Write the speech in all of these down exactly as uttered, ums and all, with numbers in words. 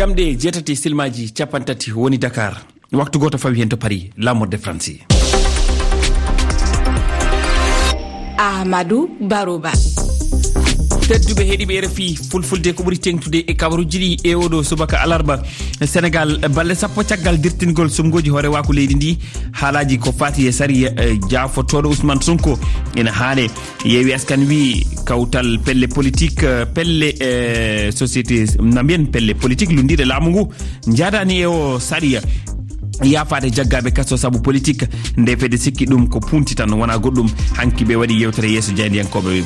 Jamɗe jeetati silmaaji cappanɗe tati woni Dakar. Waktu gooto fawi heen to Paris, laamorde Faransi. Amadou Baroba. Tedduɓe heɗiiɓe R F I Fulfulde, ko ɓuri teeŋtude e kabaruuji ɗi e oɗo subaka alarba, Senegal, balɗe sappo caggal dirtingol suɓngooji hoorewaaku leydi ndi, haalaaji ko faati e sariya, eh, jaafotooɗo Ousmane Sonko ina haale. Yeewi Askan wi kawtal pelle politik, eh, pelle, eh, société, na mbiyen pelle politik lunndiiɗe laamu ngu njaadaani e o sariya. Yaafaade jaggaaɓe kaso sabu politik, nde fedde sikki ɗum ko punti tan, wonaa goɗɗum. Hanki ɓe waɗi yewtere yeeso jaayndiyankooɓe ɓe.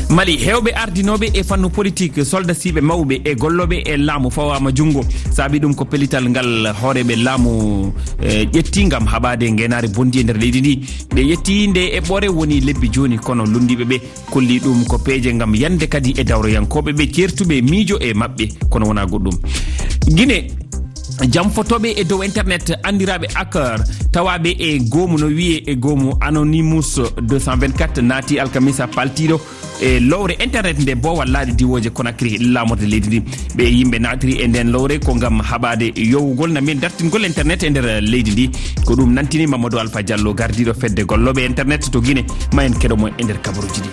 Mali, heewɓe ardinooɓe e fannu politik, soldasiiɓe mawɓe e gollooɓe e laamu fawaama junngo. Saabi ɗum ko pellital ngal hooreeɓe laamu, eh, ƴetti ngam haɓaade ngeenaari bonndi e nder leydi ndi. Ɓe ƴetti nde eɓɓoore woni lebbi jooni, kono lunndiiɓe ɓe kolli ɗum ko peeje ngam yande kadi e dawroyankooɓe ɓe ceertuɓe miijo e maɓɓe, kono wonaa goɗɗum. Gine, jamfotooɓe e dow internet anndiraaɓe hacker, tawaaɓe e goomu no wiyee e goomu Anonymous deux cent vingt-quatre naati alkamisa paltiiɗo e lowre internet nde boowal laaɗe diwooje Conakry, laamorde leydi ndi. Ɓe yimɓe naatiri e nden lowre ko ngam haɓaade yowugol na mbiyen dartingol internet e nder leydi ndi. Ko ɗum nantini Mamadou Alpha Diallo, gardiiɗo fedde gollooɓe internet to Gine. Ma en keɗo mo e nder kabaruuji ɗi.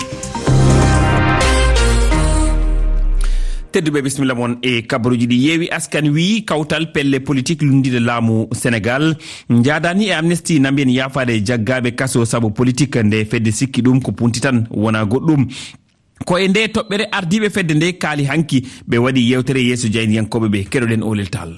Tedduɓe, bisimilla mon e kabaruuji ɗi. Yeewi Askan wi kawtal pelle politik lunndiiɗe laamu Senegal njaadaani e Amnesty na mbiyen yaafaade jaggaaɓe kaso sabu politik, nde fedde sikki ɗum ko punti tan, wonaa goɗɗum. Ko e nde toɓɓere ardiiɓe fedde nde kaali hanki, ɓe waɗi yewtere yeeso jaayndiyankooɓe ɓe. Keɗoɗen Oulel Tall.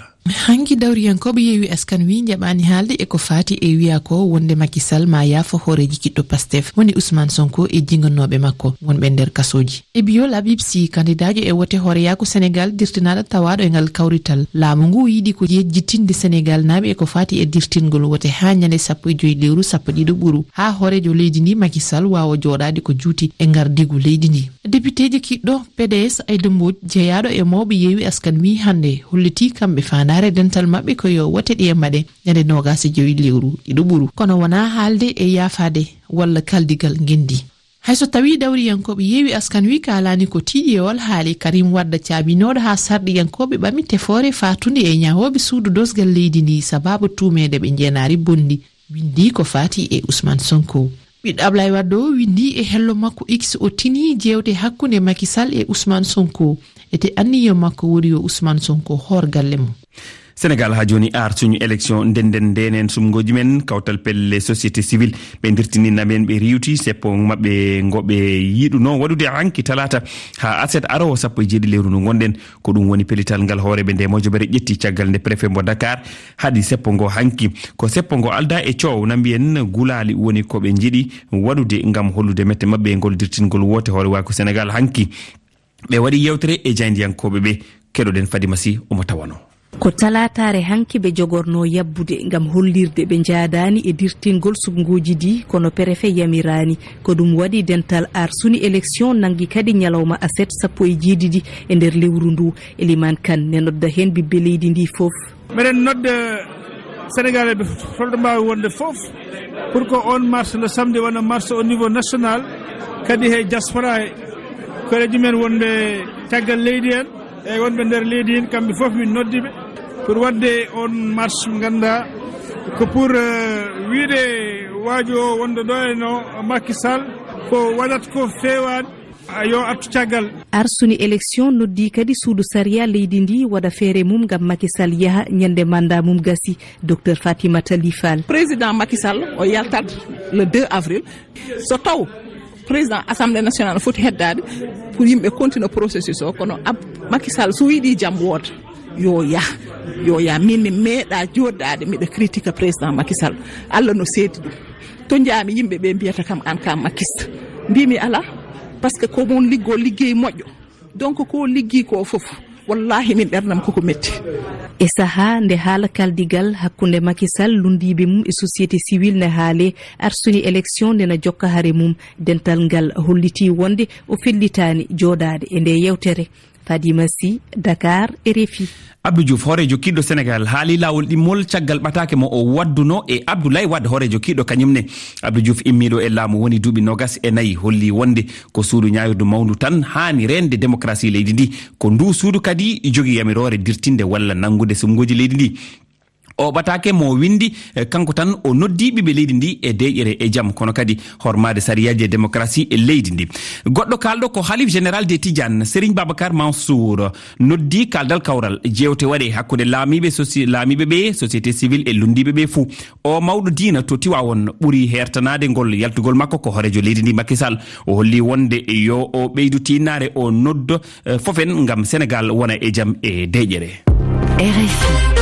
Hanki dawriyankooɓe Yeewi Askan wi njaɓaani haalde e ko faati e wiyaa ko wonde Macky Sall ma yaafo hooreeji kiɗɗo Pastef woni Ousmane Sonko e jinganooɓe makko wonɓe nder kasooji. E biyo Labib Sy, kandidaajo e wote hooreyaaku Senegal dirtinaaɗo tawaaɗo e ngal kawrital, laamu ngu yiɗi ko yejjitinde Senegal naaɓe e ko faati e dirtingol wote haa ñande sappo e joy lewru sappo ɗiɗo ɓuru, haa hooreejo leydi ndi Macky Sall waawa jooɗaade ko juuti e ngardiigu leydi ndi. Depiteejo kiɗɗo P D S Aïda Mbodj, jeyaaɗo e mawɓe Yeewi Askan wi hannde, hollitii kamɓe faandaare dental maɓɓe ko yo wote ɗe mbaɗe ñande noogaas e joy lewru ɗiɗo ɓuru, kono wonaa haalde e yaafaade walla kaldigal ngenndi. Hay so tawii dawriyankooɓe Yeewi Askan wi kaalaani ko tiiɗi e oon haali, Karim Wade caabinooɗo haa sarɗiyankooɓe ɓami tefoore faatunde e ñahooɓe suudu dosgal leydi ndi sabaabu tuumeede ɓe njeenaari bonndi, winndii ko faati e Ousmane Sonko. Ɓiɗɗo Ablaye Wade o winndii e hello makko X, o tinii jeewte hakkunde Macky Sall e Ousmane Sonko. Ete anniya makko woni yo Ousmane Sonko hoor galle mum. Senegal, haa jooni, ar suñu élection, ndennden, ndenen suɓngooji men, kawtal pelle société civile, ɓe ndirtini naɓen, ɓe riiwti seppo maɓɓe ngo ɓe yiɗunoo waɗude hanki talaata haa aset aroowo sappo e jeeɗiɗi lewru ndu ngonɗen. Ko ɗum woni pellital ngal hooreeɓe nde mojobere ƴetti caggal nde préfet mbo Dakar haɗi seppo ngo hanki. Ko seppo ngo aldaa e coow, na mbiyen gulaali woni ko ɓe njiɗi waɗude ngam hollude mette maɓɓe e ngol dirtingol woote hoorewaaku Senegal hanki. Ɓe waɗi yewtere e jaayndiyankooɓe ɓe. Keɗoɗen Fadima Sy, omo tawano. Ko talaataare hanki ɓe jogornoo yabbude ngam hollirde ɓe njaadaani e dirtingol suɓngooji ɗi, kono perefe yamiraani. Ko ɗum waɗi dental ar suñu élection nanngi kadi ñalawma aset sappo e jeeɗiɗi e nder lewru ndu. Eliman Kan ne nodda heen ɓiɓɓe leydi ndi fof. Meɗen nodda Senegalɓe fof, holɗo mbaawi wonde fof, pour que on marche nde samedi wona marche au niveau national, kadi he diaspora he, koreeji men wonɓe caggal leydi en, e wonɓe nder leydi en, kamɓe fof min noddi ɓe pour waɗde on marche, ngannda ko pour, euh, wiide waajo o wonde ɗo e no Macky Sall ko waɗat ko feewaani, a yo artu caggal. Ar suñu élection noddi kadi suudu sariya leydi ndi waɗa feere mum ngam Macky Sall yaha ñande mandat mum gasi. Docteur Fatimata Ly Fall. Président Macky Sall o yaltat le deux avril. So taw président assemblée nationale foti heddaade pour yimɓe continue processus o, kono ab Macky Sall so yiɗi jam wooda, yo yah, yo yah. Min mi meeɗa jooɗaade miɗa critique président Macky Sall. Allah no seedi ɗum. To njaami yimɓe ɓe mbiyata kam an ka Macky Sall. Mbimi ala, parce que ko mon liggo liggey moƴƴo. Donc ko liggi ko fof, wallahi min ɓernam koko metti. E sahaa nde haala kaldigal hakkunde Macky Sall, lunndiiɓe mum e société civile ne haale, ar suñu élection nde na jokka hare mum. Dental ngal holliti wonde o fellitaani jooɗaade e nde yewtere. Fadima Sy, Dakar, R F I. Abdou Diouf, hooreejo kiiɗɗo Senegal, haali laawol ɗimmol caggal ɓataake mo o wadduno e Abdoulaye Wade, hooreejo kiiɗɗo kañum ne. Abdou Diouf, immiiɗo e laamu woni duuɓi noogas e nayi, holli wonde ko suudu ñaawirdu mawndu tan haani reende démocratie leydi ndi. Ko ndu suudu kadi jogii yamiroore dirtinde walla nanngude suɓngooji leydi ndi. O ɓataake mo windi, eh, kanko tan o noddi ɓiɓɓe leydi ndi e deeƴere e jam, kono kadi hormaade sariyaaji e démocratie e leydi ndi. Goɗɗo kaalɗo ko Halif Général des Tidiane, Serigne Babacar Mansour, noddi kaaldal kawral. Jeewte waɗe hakkunde laamiiɓe soci-, laamiiɓe ɓe, société civile e lunndiiɓe ɓe fuu. O mawɗo diina to Tiwaawoon ɓuri heertanaade ngol yaltugol makko ko hooreejo leydi ndi Macky Sall. O holli wonde yo o ɓeydu tiinnaare, o noddo eh, fof en ngam Senegal wona e jam e deeƴere. R F I.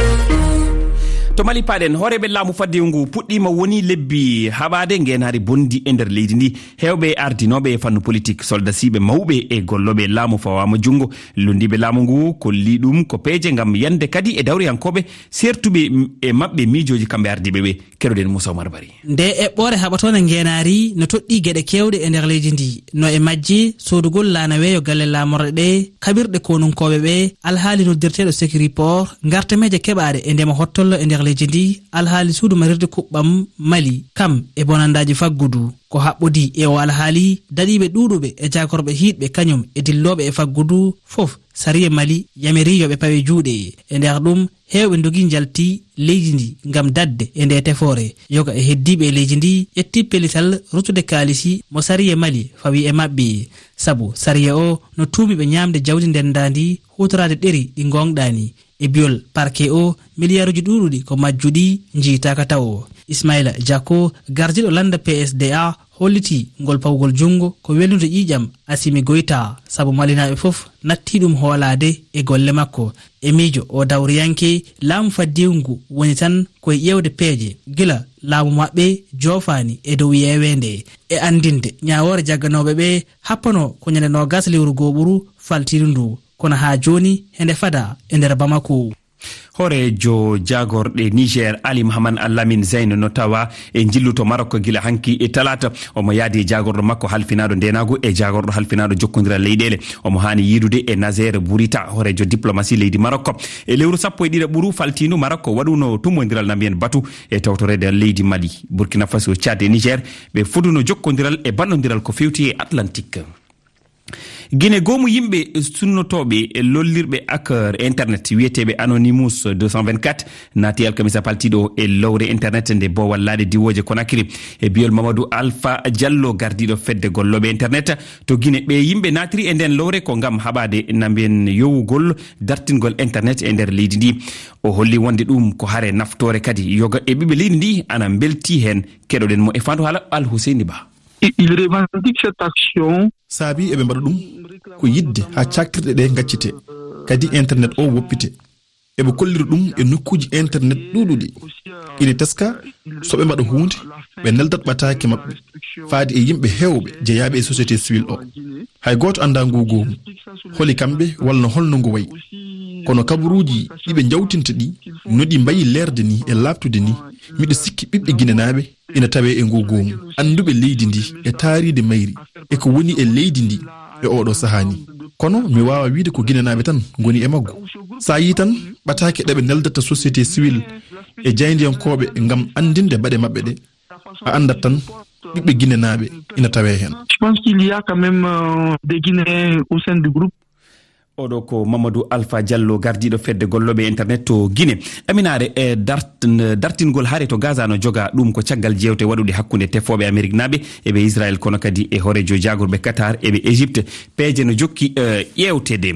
To Mali paaɗen, hooreeɓe laamu faddewu ngu puɗɗiima woni lebbi haɓaade ngeenaari bonndi e nder leydi ndi. Heewɓe ardinooɓe e fannu politik, soldasiiɓe mawɓe e gollooɓe laamu fawaama junngo. Lunndiiɓe laamu ngu kolli ɗum ko peeje ngam yande kadi e dawriyankooɓe seertuɓe e maɓɓe miijooji kamɓe ardiiɓe ɓe. Keɗoɗen Moussa Oumar Bari. Nde eɓɓoore haɓatoonde ngeenaari no toɗɗii geɗe keewɗe e nder leydi ndi. No e majje, soodugol laana weeyo galle laamorɗe ɗe, kaɓirɗe konunkooɓe ɓe, alhaali noddirteeɗo Securiport, ngartameeje keɓaaɗe e ndema hottollo e nder leydi ndi, alhaali suudu marirde kuɓɓam Mali, kam e bonandaaji faggudu. Ko haɓɓodii e o alhaali, daɗiiɓe ɗuuɗuɓe e jaagorɓe hiiɗɓe kañum e dillooɓe e faggudu fof, sariya Mali yamirii yo ɓe pawe juuɗe. E nder ɗum, heewɓe ndogii njalti leydi ndi ngam daɗde e nde tefoore. Yoga e heddiiɓe e leydi ndi ƴetti pellital ruttude kaalisi mo sariya Mali fawi e maɓɓe. Sabu sariya o no tuumi ɓe ñaamde jawdi ndenndaandi, huutoraade ɗeri ɗi ngoongɗaani. E biyol parquet o, miliyaaruuji ɗuuɗuɗi ko majjuɗi, njiytaaka tawo. Ismaila Jacko, gardiiɗo lannda P S D A, hollitii ngol pawgol junngo ko welnude ƴiiƴam Assimi Goïta, sabu Malinaaɓe fof nattii ɗum hoolaade e golle makko. E miijo o dawriyanke, laamu faddewu ngu woni tan ko e ƴeewde peeje gila laamu maɓɓe joofaani e dow yeeweende. E anndinde ñaawoore jagganooɓe ɓe, happanoo ko ñande noogas lewru gooɓuru faltiiru ndu, kono haa jooni hende fada e nder Bamako. Hooreejo jaagorɗe Niger, Ali Mahaman Al-Amin Zein, no tawa e njillu to Marok gila hanki e talaata. Omo yaadi e jaagorɗo makko halfinaaɗo ndeenaagu e jaagorɗo halfinaaɗo jokkondiral leyɗeele. Omo haani yiidude e Nazer Bourita, hooreejo diplomasi leydi Marok. E lewru sappo e ɗiɗaɓuru faltiindu, Marok waɗuno tummbondiral na mbiyen batu e tawtoreede leydi Mali, Burkina Faso, Tchad e Niger. Ɓe foduno jokkondiral e ballondiral ko feewti e Atlantique. Gine, goomu yimɓe sunnotooɓe e lollirɓe hacker internet wiyeteeɓe Anonymous deux cent vingt-quatre naati alkamisa paltiiɗo e lowre internet nde boowal laaɗe diwooje Conakry. E biyol Mamadou Alpha Diallo, gardiiɗo fedde gollooɓe internet to Gine, ɓe yimɓe naatiri e nden lowre ko ngam haɓaade na mbiyen yowugol dartingol internet e nder leydi ndi. O holli wonde ɗum ko hare naftoore kadi yoga e ɓiɓɓe leydi ndi ana mbelti heen. Keɗoɗen mo e fandu haala Al Husseini Ba. I-, il revendique cette action. Saabi eɓe mbaɗa ɗum ko yiɗde haa caktirɗe ɗe ngaccite, kadi internet o woppite. Eɓe kollira ɗum e nokkuuji internet ɗuuɗuɗi. Ina teska so ɓe mbaɗa huunde, ɓe neldat ɓataake maɓɓe faade e yimɓe heewɓe jeyaaɓe e société civile o. Hay gooto anndaa nguu goomu, holi kamɓe walla holno ngu wayi. Kono kabaruuji ɗi ɓe njawtinta ɗi, no ɗi mbayi leerde ni e laaɓtude ni, miɗo sikki ɓiɓɓe Ginenaaɓe ina tawee e nguu goomu. Annduɓe leydi ndi e taariindi mayri e ko woni e leydi ndi e ooɗoo sahaa ni. Kono mi waawaa wiyde ko Ginenaaɓe tan ngoni e maggu. So a yii tan ɓataake ɗe ɓe neldata société civile e jaayndiyankooɓe ngam anndinde baɗe maɓɓe ɗe, a anndat tan ɓiɓɓe Ginenaaɓe ina tawee heen. Je pense qu'il y a quand même, euh, des Guinéens au sein du groupe. Oɗo ko Mamadou Alpha Diallo, gardiiɗo fedde gollooɓe internet to Guinée. Aminaare, e dart-, dartingol hare to Gaza no joga, ɗum ko caggal jeewte waɗuɗe hakkunde tefooɓe Ameriknaaɓe e ɓe Israel, kono kadi e hooreejo jaagorɓe Qatar e ɓe Égypte. Peeje no jokki, eh, ƴeewteede.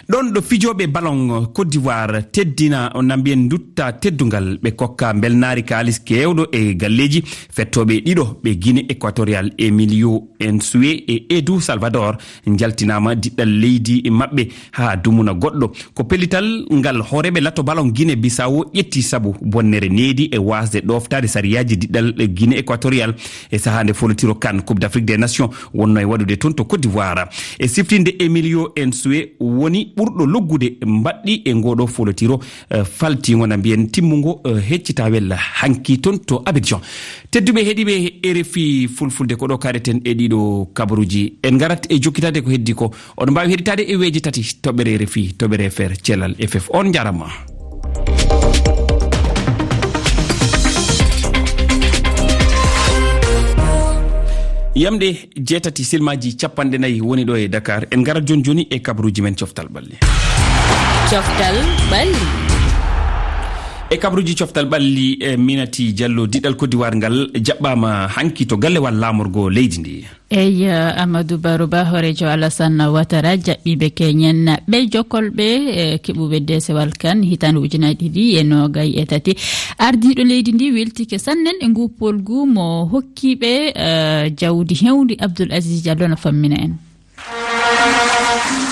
Ɗon ɗo fijooɓe ballon Côte d'Ivoire teddina, na mbiyen ndutta teddungal, ɓe kokka mbelnaari kaalis keewɗo e galleeji. Fettooɓe ɗiɗo ɓe Guinée Équatoriale, Emilio Nsue e Edu Salvador, njaltinaama diɗɗal leydi maɓɓe haa dumuna goɗɗo. Ko pellital ngal hooreeɓe lato ballon Guinée Bissau ƴetti sabu bonnere needi e waasde ɗooftaade sariyaaji diɗɗal Guinée Équatoriale e sahaa nde folotiro CAN, Coupe d'Afrique des Nations, wonno e waɗude toon to Côte d'Ivoire. E siftinde, Emilio Nsue woni ɓurɗo loggude mbaɗɗi e ngooɗo folotiro, eh, faltiingo na mbiyen timmungo, eh, heccitawel hanki toon to Abidjan. Tedduɓe heɗiiɓe R F I Fulfulde, ko ɗo kaɗeten e ɗiɗo kabaruuji. En ngarat e jokkitaade ko heddi ko. Oɗon mbaawi heɗitaade e weeji tati. Toɓɓere R F I, toɓɓere F R, Cellal F F. On njaarama. Yamɗe jeetati, silmaaji capanɗe nayi woni ɗo e Dakar. En ngarat jooni jooni e kabaruuji men coftal ɓalli. Coftal ɓalli. E kabaruuji coftal ɓalli, e Minati Diallo, diɗɗal Côte d'Ivoire ngal jaɓɓaama hanki to gallewal laamorgo leydi ndi. Eyi, Amadou Barou Ba, hooreejo Alassane Ouattara, jaɓɓiiɓe keñen ɓe jokolɓe, e keɓuɓe deesewal kan hitaande ujunaaji ɗiɗi e noogay e tati. Ardiiɗo leydi ndi weltike sannen e ngu polgu mo hokkiiɓe, eh, jawdi hewndi. Abdoul Aziz Diallo no fammina en.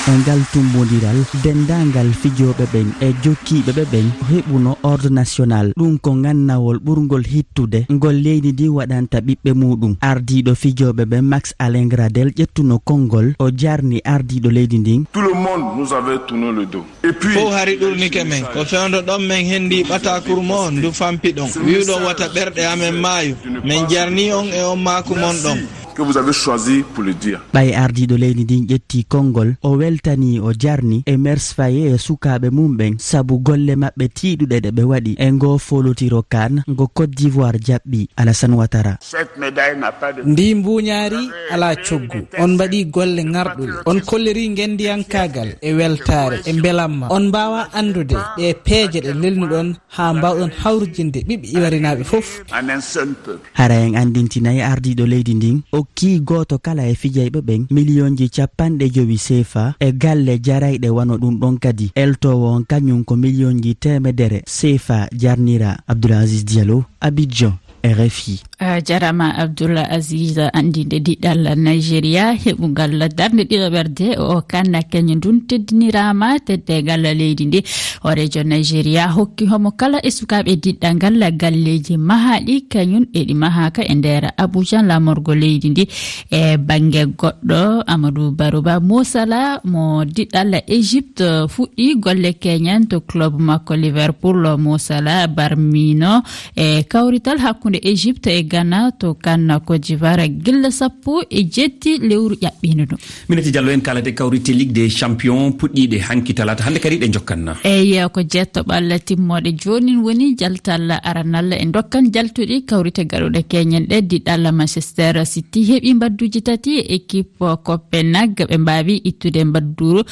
E ngal tummbondiral, denndaangal fijooɓe ɓen e jokkiiɓe ɓe ɓen heɓuno ordre national. Ɗum ko ngannawol ɓurngol hittude ngol leydi ndi waɗanta ɓiɓɓe muɗum. Ardiiɗo fijooɓe ɓen, Max Alain Gradel, ƴettuno konngol, o jarni ardiiɗo leydi ndin. Tout le monde nous avait tourné le dos. Et puis, fof hari ɗurnike men. Ko fewndo ɗon men hendi ɓatakuru mo on ndu fampi ɗon. Wi'uɗon wata ɓerɗe amen maayu. Men jarni on e on maaku mon ɗon. Que vous avez choisi pour le dire. Ɓay ardiiɗo leydi ndin ƴetti konngol, o weltanii, o jarni e Mers Faye e sukaaɓe mum ɓen sabu golle maɓɓe tiiɗuɗe ɗe ɓe waɗi e ngoo folotiro kan ngo Côte d'Ivoire jaɓɓi. Alassane Ouattara. Cette médaille n'a pas de... Ndi mbuuñaari alaa coggu. On mbaɗii golle ŋarɗuɗe. On kollirii ngenndiyankaagal e weltaare e mbelamma. On mbaawaa anndude ɗee peeje ɗe lelnuɗon haa mbaawɗon hawrijinde ɓiɓɓe iwarinaaɓe fof. En un seul peuple. Hara en anndintinay ardiiɗo leydi ndin, okkii gooto kala e fijayɓe ɓen miliyonji capanɗe jowi seefa e galle jarayɗe wano ɗum ɗon kadi. Eltoowo on kañum ko miliyonji teemedere seefa jarnira. Abdoul Aziz Diallo, Abidjan, R F I. A jarama Abdoul Aziz, anndinde diɗɗal Nigeria heɓungal darnde ɗiɗaɓerde o kanna keñe ndun teddinirama teddegal leydi ndi. Hooreejo Nigeria hokki homo kala e sukaaɓe diɗɗal ngal galleeji mahaaɗi kañum e ɗi mahaaka e nder Abuja laamorgo leydi ndi. E bannge goɗɗo, Amadou Baruba Mosala mo diɗɗal Egypte fuɗɗi golle keñan to club makko Liverpool. Mosala barmino e kawrital hakkunde Egypte e Ghana to kan Côte d'Ivoire gilla sappo e jetti lewru ƴaɓɓiino ɗum. Minati Diallo, en kaalata e kawrite Ligue des Champions puɗɗiiɗe hanki talaata hannde kadi ɗe njokkan. Eyi, ko jeetto ɓalla timmooɗe joonin woni jaltal aranal e ndokkan jaltuɗi kawrite gaɗuɗe keñen ɗe. Diɗɗal Manchester City heɓi mbadduji tati e équipe Copenhague, ɓe mbaawi ittude mbadduru.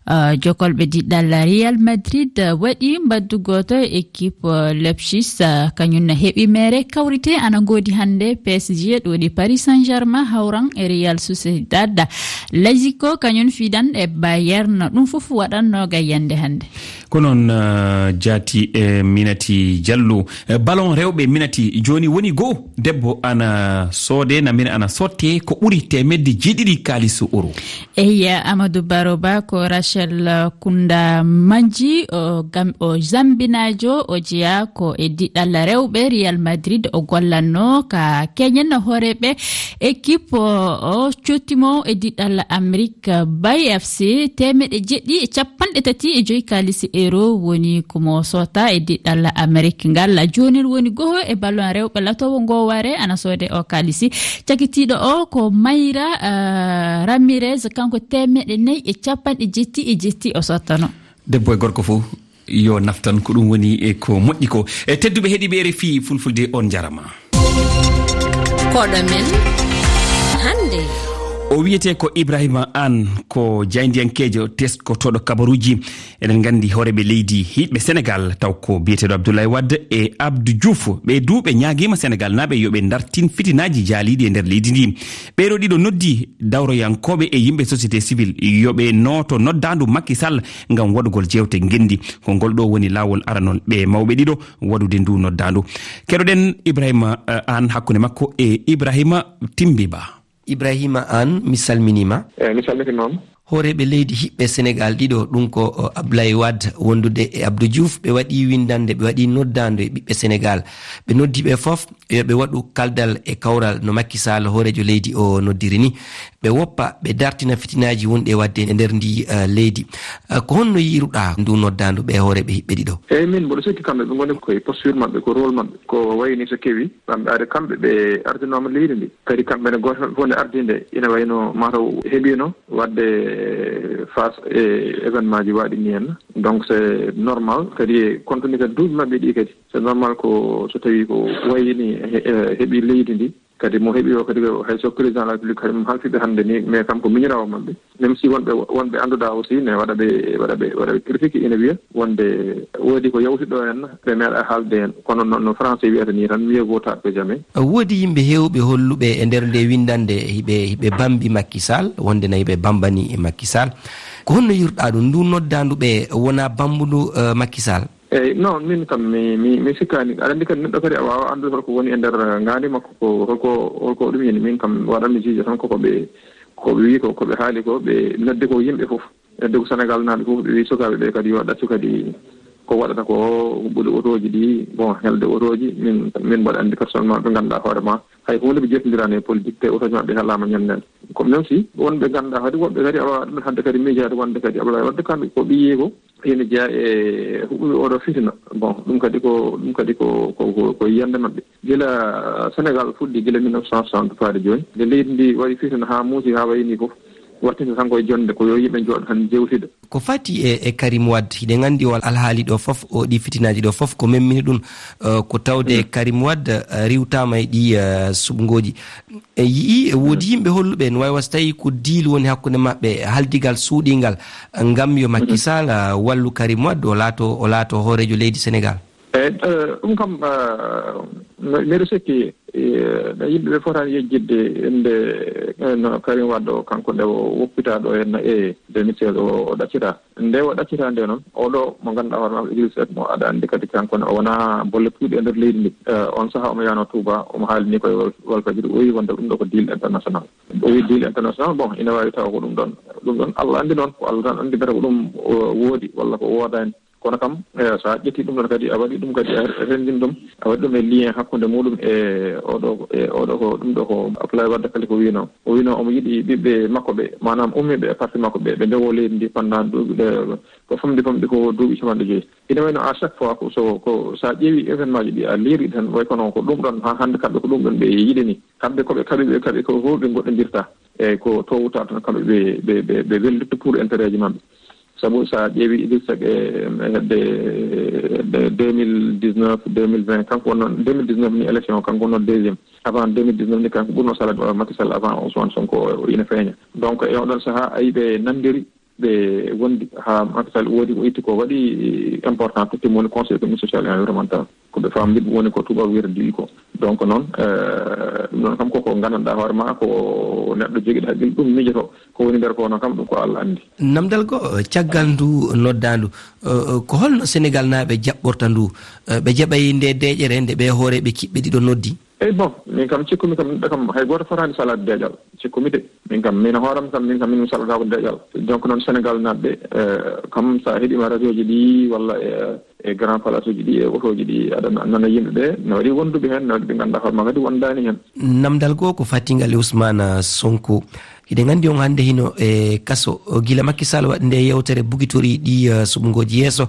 Uh, jokolɓe diɗɗal Real Madrid, uh, waɗi mbaddu gooto e équipe, uh, Leipzig, uh, kañum na heɓi mere kawrite ana ngoodi hannde. P S G ɗoɗi Paris Saint-Germain hawran e Real Sociedad. Lazio kañum fidan e Bayern. Ɗum fof waɗan noogay yannde hannde. Ko noon, uh, jaati e Minati Diallo. Eh, ballon rewɓe Minati jooni woni goo. Debbo ana soode, namir ana sotte ko ɓuri teemedde jeeɗiɗi kaalis euro. Eyi, Amadou Baro Ba, ko Rachel Kunda Manji, o gam-, o Zambinaajo, o jeyaa ko e diɗɗal rewɓe Real Madrid o gollanno ka keñen hooreeɓe équipe o, o cottimo e diɗɗal Amérique Bay F C teemeɗe jeeɗiɗi e capanɗe tati e joyi kaalisi euro woni ko mo sotta e diɗɗal Amérique ngal. Joonin woni goho e ballon rewɓe latowo ngo ware ana soode o kaalisi. Cakitiiɗo o ko Mayra, eh, Ramirez, kanko teemeɗe nayi e capanɗe jetti e jetti o sottano. Debbo e gorko fof yo naftan ko ɗum woni e ko moƴƴi ko. E tedduɓe heɗiiɓe R F I Fulfulde, on njarama. Koɗo men hannde. O wiyetee ko Ibrahima Aan, ko jaayndiyankeejo teskotooɗo kabaruuji. Eɗen nganndi hooreeɓe leydi hiiɗɓe Senegaal, taw ko biyeteeɗo Abdoulaye Wade e Abdou Diouf. Ɓee du ɓe ñaagiima Senegaalnaaɓe yo ɓe ndartin fitinaaji jaaliiɗi e nder leydi ndi. Ɓee ɗoo ɗiɗo noddi dawroyankooɓe e yimɓe société civile yo ɓe nooto noddaandu Macky Sall ngam waɗugol jeewte ngenndi. Ko ngol ɗoo woni laawol aranol ɓee mawɓe ɗiɗo waɗude ndu noddaandu. Keɗoɗen Ibrahima, eh, Aan hakkunde makko e Ibrahima Timbi Ba. Ibrahima Aan, mi salminiima. Eh, mi salminiima. Hooreeɓe leydi hiɓɓe Senegaal ɗiɗo, ɗum ko, o, Ablaye Wade wondude e Abdou Diouf, ɓe waɗi winndannde, ɓe waɗi noddaandu e ɓiɓɓe Senegaal. Ɓe noddi ɓe fof yo ɓe waɗu kaldal e kawral no Macky Sall, hooreejo leydi o, noddiri ni. Ɓe woppa, ɓe dartina fitinaaji wonɗi e waɗde e nder ndi, eh, leydi. Eh, ko honno yiiruɗaa ndu noddaandu ɓe hooreeɓe hiɓɓe ɗiɗo? Eyi, min mboɗo sikki kamɓe ɓe ngoni koye posture maɓɓe, ko rôle maɓɓe. Ko wayi ni so kewi, kamɓe ari, kamɓe ɓe ardinooma leydi ndi. Kadi kamɓe ne gooto maɓɓe fof nde ardii nde, ina wayi no mataw heɓiino waɗde e face e événement ji waɗi ni henna. Donc c'est normal kadi e compte tenu kadi duuɓi maɓɓe ɗi kadi, c'est normal ko so tawi ko wayini he- e heɓi leydi ndi. Kadi mo heɓi o kadi, hay so président de la République kadi mo halfiɓe hannde ni, mais kam ko miñirawo maɓɓe. Même si wonɓe wonɓe annduɗa aussi ne waɗa ɓe waɗa ɓe waɗa ɓe critique ina wiya wonde woodi ko yawti ɗo en, ɓe meeɗa haalde en. Kono noon no français wiyata ni tan, mieux vaut tard que jamais. Woodi yimɓe heewɓe holluɓe e nder nde winndannde hiɓe hiɓe bambi Macky Sall, wonde na hiɓe bambani e Macky Sall. Ko honno yirɗa ɗum? Ndu noddandu ɓe wona bambundu, eh, Macky Sall? Eyyi, non, min kam mi mi mi sikkaani. Aɗa anndi kadi neɗɗo kadi a waawa anndude holko woni e nder ngaandi makko, ko holko holko ɗum yini. Min kam waɗanmi juge tan koko ɓe ko ɓe wi ko ko ɓe haali ko, ɓe noddi ko yimɓe fof. Noddi ko Sénégal naaɓe fof, ɓe wi sukaaɓe ɓe kadi yo ɗaccu kadi ko waɗata ko, huɓɓude otooji ɗi, bon, helde otooji. Min min mbaɗa anndi personnellement, ɓe ngannduɗaa hoore ma hay huunde ɓe jottondiraani e politique, te otooji maɓɓe helaama ñannde. Ko même si wonɓe ngannduɗaa kadi woɓɓe kadi a waawa ɗum hannde kadi miijaade wonde kadi Abdoulaye Wade kamɓe ko ɓiyi ko ina jeyaa e huɓɓuɓe oɗo fitina. Bon, ɗum kadi ko ɗum kadi ko ko ko ko yiyannde maɓɓe. Gila Sénégal fuɗɗi, gila mille neuf cent soixante faade jooni, nde leydi ndi waɗi fitina haa muusi haa wayi ni fof, waɗtinta tan koye jonnde ko yo yimɓe njooɗo tan njewtida. Ko fati e e Karim Wade, hiɗen anndi o alhaali ɗo fof, o ɗi fitinaaji ɗo fof ko memmini ɗum, eh, ko tawde Karim Wade, eh, riwtaama e ɗi, eh, suɓngooji. E yi'i e woodi yimɓe holluɓe no wawi wasa tawi ko deal woni hakkunde maɓɓe, haldigal suuɗingal, ngam yo Macky Sall, ah, wallu Karim Wade, o laato o laato hooreejo leydi Sénégal. Eyyi, eh, ɗum kam, eh, mi- miɗo sikki, eh, no yimɓe ɓe fotani yejjitde innde, eh, no Karim Wade o, kanko nde o woppita ɗo henna e deux mille seize o o ɗaccita. Nde o ɗaccita nde noon, oɗo mo ngannduɗaa hoore makko Idriss Seck, mo aɗa anndi kadi kanko ne o wonaa bolle puuɗe e nder leydi ndi. Eh, on sahaa omo yahnoo Touba, omo haalini koye Wal- Walfadjri, o wi wonde ɗum ɗo ko deal international. O wi deal international, bon, ina waawi tawa ko ɗum ɗoon. Ɗum ɗoon Allah anndi noon, ko Allah tan anndi mbete ko ɗum o woodi walla ko woodaani. Kono kam, eh, so a ƴetti ɗum ɗoon kadi, a waɗi ɗum kadi, a renndin ɗum, a waɗi ɗum e lien hakkunde muɗum e oɗo, e oɗo ko ɗum ɗo ko Abdoulaye Wade kadi ko wino. O wino omo yiɗi ɓiɓɓe makko ɓe, maanaam ummiiɓe e parti makko ɓe, ɓe ndewo leydi ndi pendant duuɓi ɗe, ko famɗi famɗi ko duuɓi capanɗe joyi. Ina wayno à chaque fois ko so, ko so a ƴeewi événement ji ɗi, a liiri tan, way kono ko ɗum ɗoon, haa hannde kamɓe ko ɗum ɗoon ɓe yiɗi ni. Kamɓe ko ɓe kaɓi, ɓe kaɓi ko fof ɓe ngoɗɗondirta. Eyyi, ko towta tan kamɓe ɓe, ɓe, ɓe, ɓe wellitto pour intérêt ji maɓɓe. Sabu so a ƴeewi Idrissa Seck e, e hedde, hedde deux mille dix-neuf, deux mille vingt, kanko wonno deux mille dix-neuf ni élection, kanko wonno deuxième. Avant deux mille dix-neuf ni, kanko ɓurno salade Macky Sall avant Ousmane Sonko o ina feeña. Donc, e oɗon sahaa, ayi ɓe nanndiri, ɓe wondi haa Macky Sall woodi ko itti ko waɗi important, totti mo woni Conseil économique, social et environnemental. Ko ɓe faamdi ɗum woni ko tubaab wiyata D U ko. Donc noon, eh, ɗum ɗoon kam koko nganndanɗaa hoore ma, ko neɗɗo jogiiɗo haqqille, ɗum miijoto. Ko woni nder ko noon kam, ɗum ko Allah anndi. Namdal goo, eh, caggal ndu noddaandu, eh, eh, ko holno Senegal naaɓe jaɓɓorta ndu? Eh, ɓe jaɓay nde deeƴere nde ɓe hooreeɓe kiɓɓe ɗiɗo noddi? Eyi, bon, min kam cikkumi kam, neɗɗo kam hay gooto fotaani salaade deeƴal. Cikkumi de, min kam, min hooram kam, min kam, min mi salataako deeƴal. Donc noon Senegal naaɓe, eh, kam so a heɗiima radio ji ɗi walla e, e grand place uji ɗi, e otooji ɗi, aɗa na-, nana yimɓe ɓe, no waɗi wonduɓe heen, no waɗi ɓe ngannduɗaa hoore ma kadi wondaani heen. Namdal goo ko fatingal e Ousmane Sonko. Hiɗen anndi on hannde hino e kaso, o gila Macky Sall waɗi nde yewtere bugitori ɗi, eh, suɓngooji yeeso.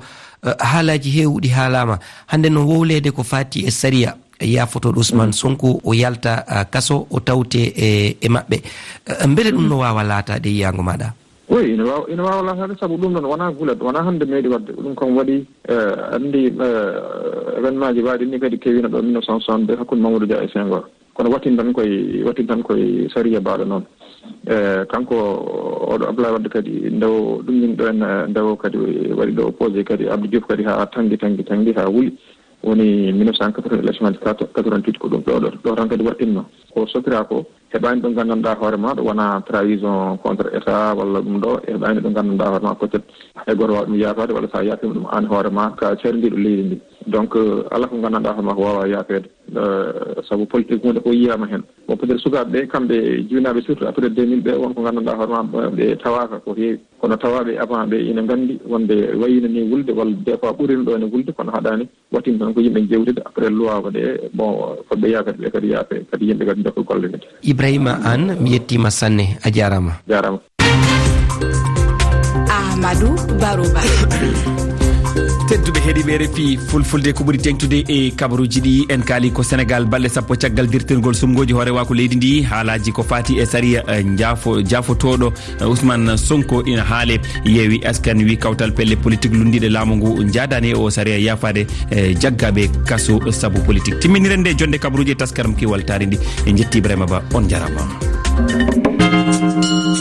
Eh, haalaaji heewuɗi haalaama. Hannde noon wowleede ko faati e sariya. Yaafotooɗo Ousmane Sonko o yalta, ah, kaso, o tawte e, e maɓɓe. Ah, mbele ɗum no waawa laataade e yiyaango maaɗa? Oui, ina waawa, ina waawa laataade, sabu ɗum ɗoon wonaa gulet, wonaa hannde meeɗi waɗde. Ɗum kam waɗi, eh, anndi, eh, événement ji baaɗi ni kadi kewiino ɗo mille neuf cent soixante-deux hakkunde Mamadou Dia e Senghor. Kono waɗtin tan koye, waɗtin tan koye sariya baaɗo noon. Eh, kanko oɗo Abdoulaye Wade kadi ndewo ɗum min ɗo en, eh, ndewo kadi waɗi ɗo opposé kadi Abdou Diouf kadi haa tanngi, tanngi, tanngi haa wuli. Woni mille neuf cent quatre-vingts élection ji quatre-vingt-huit ko ɗum ɗo, ɗo, ɗo tan kadi waɗtinno. Ko sokira ko, heɓaani ɗo nganndanɗaa hoore ma, ɗo wona trahison contre État walla ɗum ɗo, heɓaani ɗo nganndanɗaa hoore ma, peut-être hay gooto waawa ɗum yaafaade, walla so a yaafiima ɗum aan hoore ma, ka cardiiɗo leydi ndi. Donc, euh, alaa ko nganndanɗaa hoore ma ko waawaa yaafeede. Euh, sabu politique huunde ko yiyaama heen. Bon, peut-être sukaaɓe ɓe, kamɓe jibinaaɓe surtout après deux mille ɓe, won ko nganndanɗaa hoore ma, ɓe tawaaka ko heewi. Kono tawaaɓe avant ɓe ina nganndi wonde wayino ni wulde, walla des fois ɓurino ɗo ene wulde, kono haɗaani. Waɗtin tan ko yimɓe njewtude, après loi waɗe, bon, fodɓe yaafeede ɓe kadi yaafe, kadi yimɓe kadi jokka golle kadi. Ibrahima Anne, mi yettiima sanne, a jaaraama. Jaaraama. Amadou Barouba. Tedduɓe heɗiiɓe R F I Fulfulde, ko ɓuri teeŋtude e kabaruuji ɗi, en kaali ko Senegaal, balɗe sappo caggal dirtingol suɓngooji hoorewaaku leydi ndi, haalaaji ko faati e sariya, eh, njaafo-, jaafotooɗo, eh, Ousmane Sonko ina haale. Yeewi Askan wi kawtal pelle politik lunndiiɗe laamu ngu njaadaani e o sariya yaafaade, eh, jaggaaɓe kaso sabu politik. Timminiren nde jonnde kabaruuji e taskaram Kiwal Taarindi. En njetti Ibrahima Ba, on njaaraama.